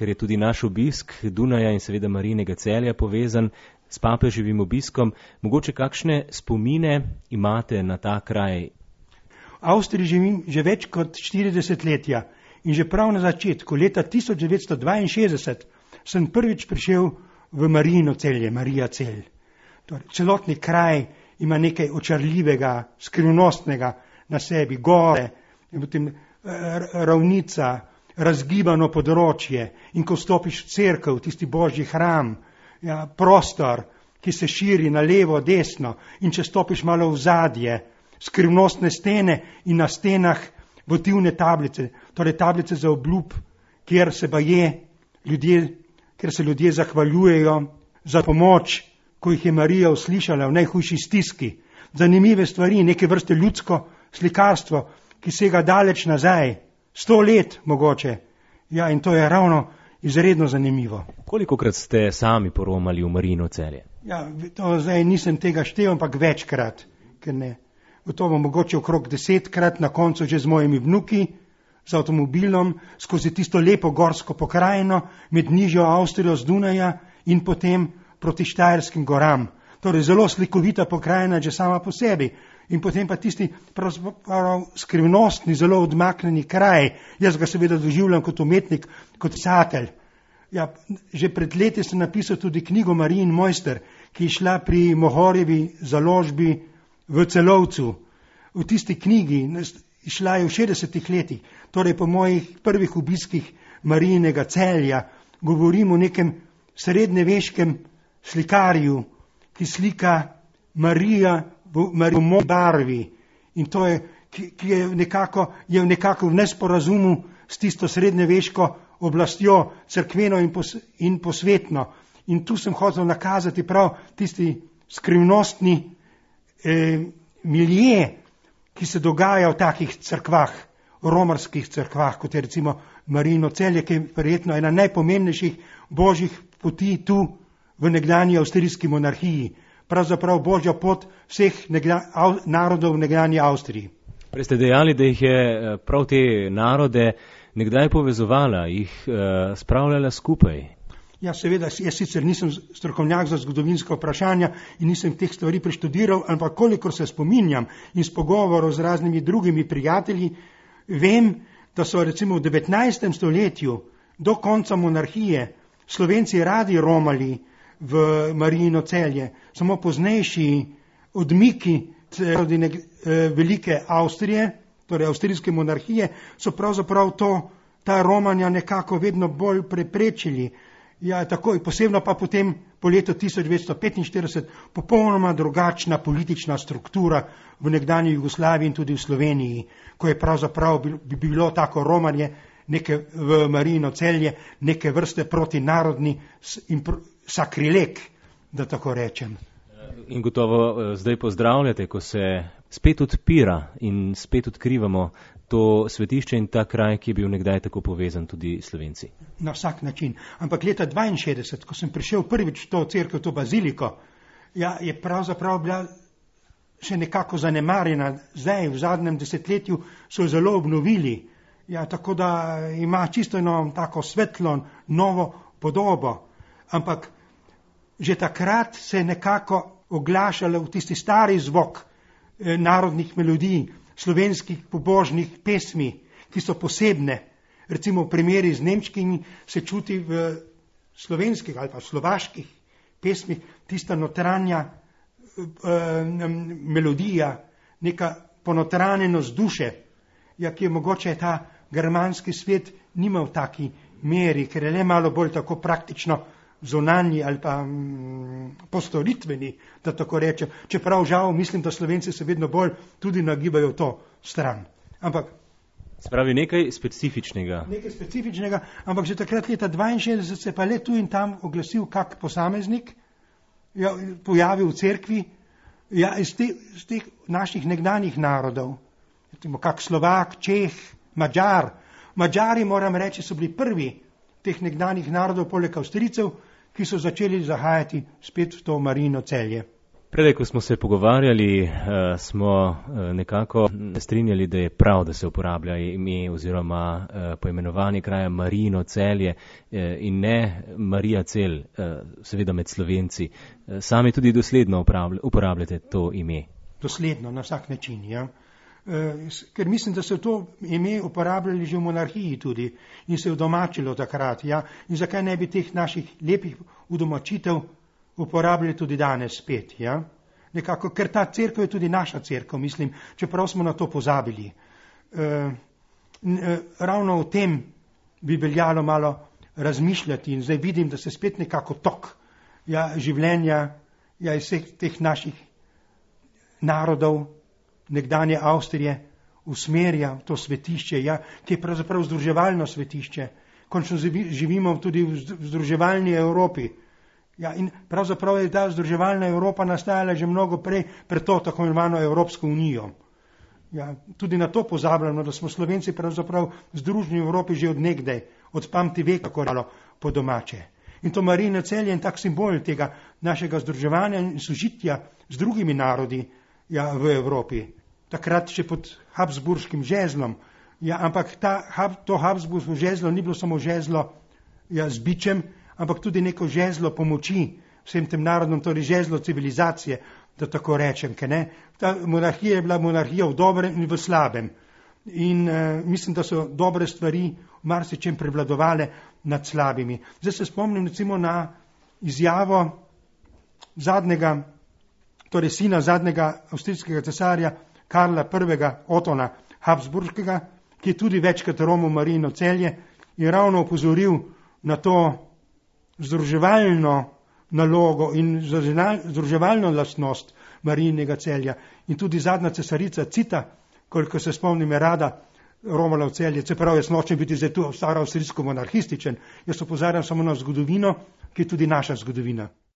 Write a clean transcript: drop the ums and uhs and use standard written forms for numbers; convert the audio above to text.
ker je tudi naš obisk Dunaja in seveda Marijinega Celja povezan s papeževim obiskom. Mogoče kakšne spomine imate na ta kraj? V Avstriji živim že več kot 40 letja in že prav na začetku, leta 1962, sem prvič prišel v Marijino Celje, Marija Celj. Torej, celotni kraj ima nekaj očarljivega, skrivnostnega na sebi, gore, in potem ravnica, razgibano področje, in ko vstopiš v cerkev, tisti božji hram, ja, prostor, ki se širi na levo, desno, in če stopiš malo v zadje, skrivnostne stene in na stenah votivne tablice, torej tablice za obljub, kjer se ljudje zahvaljujejo za pomoč, ko jih je Marija uslišala v najhujši stiski. Zanimive stvari, neke vrste ljudsko slikarstvo, ki sega daleč nazaj, 100 let mogoče. Ja, in to je ravno izredno zanimivo. Kolikokrat ste sami poromali v Marijino Celje? Ja, to zdaj nisem tega štel, ampak večkrat, ker ne. Gotovo mogoče okrog 10krat, na koncu že z mojimi vnuki, z avtomobilom, skozi tisto lepo gorsko pokrajino, med nižjo Avstrijo z Dunaja in potem proti Štajerskim goram. Torej zelo slikovita pokrajina že sama po sebi. In potem pa tisti pravzaprav skrivnostni, zelo odmaknjeni kraj. Jaz ga seveda doživljam kot umetnik, kot pisatelj. Ja, že pred leti sem napisal tudi knjigo Marijin mojster, ki je šla pri Mohorjevi založbi v Celovcu. V tisti knjigi, šla je v 60 letih, torej po mojih prvih obiskih Marijinega Celja, govorim o nekem srednjeveškem slikarju, ki slika Marijo v moji barvi, in to je, ki je nekako v nesporazumu s tisto srednjeveško oblastjo, cerkveno in posvetno. In tu sem hotel nakazati prav tisti skrivnostni milje, ki se dogaja v takih cerkvah, romarskih cerkvah, kot je recimo Marijino Celje, ki je verjetno ena najpomembnejših božjih poti tu v nekdanji avstrijski monarhiji. Pravzaprav božja pot vseh narodov v nekdanji Avstriji. Prej ste dejali, da jih je prav te narode nekdaj povezovala, jih spravljala skupaj. Ja, seveda, jaz sicer nisem strokovnjak za zgodovinska vprašanja in nisem teh stvari preštudiral, ampak kolikor se spominjam in s pogovorov z raznimi drugimi prijatelji, vem, da so recimo v 19. stoletju do konca monarhije Slovenci radi romali v Marijino Celje, samo poznejši odmiki velike Avstrije, torej avstrijske monarhije, so pravzaprav ta romanja nekako vedno bolj preprečili. Ja, tako, posebno pa potem po letu 1945 popolnoma drugačna politična struktura v nekdanji Jugoslaviji in tudi v Sloveniji, ko je pravzaprav bi bilo tako romanje v Marijino Celje neke vrste protinarodni sakrilek, da tako rečem. In gotovo zdaj pozdravljate, ko se spet odpira in spet odkrivamo to svetišče in ta kraj, ki je bil nekdaj tako povezan tudi Slovenci. Na vsak način. Ampak leta 1962, ko sem prišel prvič v to cerkev, to baziliko, ja, je pravzaprav bila še nekako zanemarjena. Zdaj, v zadnjem desetletju, so jo zelo obnovili. Ja, tako da ima čisto eno tako svetlo, novo podobo. Ampak že takrat se je nekako oglašalo v tisti stari zvok narodnih melodij, slovenskih pobožnih pesmi, ki so posebne. Recimo v primeri z nemškimi se čuti v slovenskih ali pa slovaških pesmih tista notranja melodija, neka ponotranjenost duše, ja, ki je mogoče ta germanski svet nima v taki meri, ker je le malo bolj tako praktično zunanji ali pa postoritveni, da tako rečem. Čeprav žal mislim, da Slovenci se vedno bolj tudi nagibajo v to stran. Ampak spravi nekaj specifičnega. Nekaj specifičnega, ampak že takrat leta 1962 se pa le tu in tam oglasil kak posameznik, ja, pojavil v cerkvi, ja, iz teh naših nekdanjih narodov. Kak Slovak, Čeh, Madžar. Madžari, moram reči, so bili prvi teh nekdanjih narodov, poleg Avstrijcev, ki so začeli zahajati spet v to Marijino Celje. Predaj, ko smo se pogovarjali, smo nekako strinjali, da je prav, da se uporablja ime oziroma poimenovanje kraja Marijino Celje in ne Marija Cel, seveda med Slovenci. Sami tudi dosledno uporabljate to ime. Dosledno, na vsak način, ja. Ker mislim, da so to ime uporabljali že v monarhiji tudi in se je udomačilo takrat, ja. In zakaj ne bi teh naših lepih udomačitev uporabljali tudi danes spet, ja. Nekako, ker ta cerkev je tudi naša cerkev, mislim, čeprav smo na to pozabili. Ravno o tem bi veljalo malo razmišljati in zdaj vidim, da se spet nekako tok življenja iz vseh teh naših narodov, nekdanje Avstrije, usmerja v to svetišče, ki je pravzaprav združevalno svetišče. Končno živimo tudi v združevalni Evropi. In pravzaprav je ta združevalna Evropa nastajala že mnogo prej pred to tako imenovano Evropsko unijo. Tudi na to pozabljamo, da smo Slovenci pravzaprav združeni v Evropi že od nekdaj, od pamti veka, kako rado po domače. In to Marijino Celje je tak simbol tega našega združevanja in sožitja z drugimi narodi v Evropi. Takrat še pod habsburškim žezlom. Ampak to habsburško žezlo ni bilo samo žezlo z bičem, ampak tudi neko žezlo pomoči vsem tem narodom, torej žezlo civilizacije, da tako rečem. Ta monarhija je bila monarhija v dobrem in v slabem. In mislim, da so dobre stvari v marsičem prevladovale nad slabimi. Zdaj se spomnim recimo na izjavo sina zadnjega avstrijskega cesarja Karla I. Otona Habsburškega, ki je tudi večkrat romil Marijino Celje in ravno opozoril na to združevalno nalogo in združevalno lastnost Marijinega Celja. In tudi zadnja cesarica Cita, koliko se spomnim, je rada romala v Celje, čeprav jaz nočem biti zdaj tu staro avstrijsko monarhističen, jaz opozarjam samo na zgodovino, ki je tudi naša zgodovina.